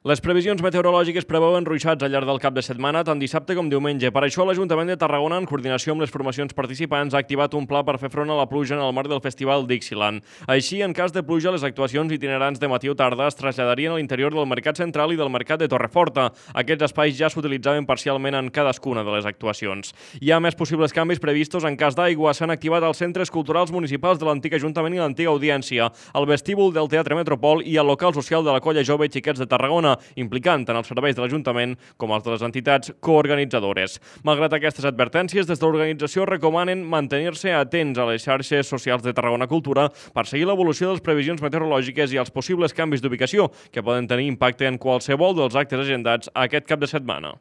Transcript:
Les previsions meteorològiques preveuen ruixats al llarg del cap de setmana, tant dissabte com diumenge. Per això, l'Ajuntament de Tarragona, en coordinació amb les formacions participants, ha activat un pla per fer front a la pluja en el marc del Festival Dixieland. Així, en cas de pluja, les actuacions itinerants de matí o tarda es traslladarien a l'interior del Mercat Central i del Mercat de Torreforta. Aquests espais ja s'utilitzaven parcialment en cadascuna de les actuacions. Hi ha més possibles canvis previstos en cas d'aigua. S'han activat els centres culturals municipals de l'antic Ajuntament i l'antiga Audiència, el vestíbul del Teatre Metropol i el local social de la Colla Jove Xiquets de Tarragona, implicant tant els serveis de l'Ajuntament com els de les entitats coorganitzadores. Malgrat aquestes advertències, des de l'organització recomanen mantenir-se atents a les xarxes socials de Tarragona Cultura per seguir l'evolució de les previsions meteorològiques i els possibles canvis d'ubicació que poden tenir impacte en qualsevol dels actes agendats aquest cap de setmana.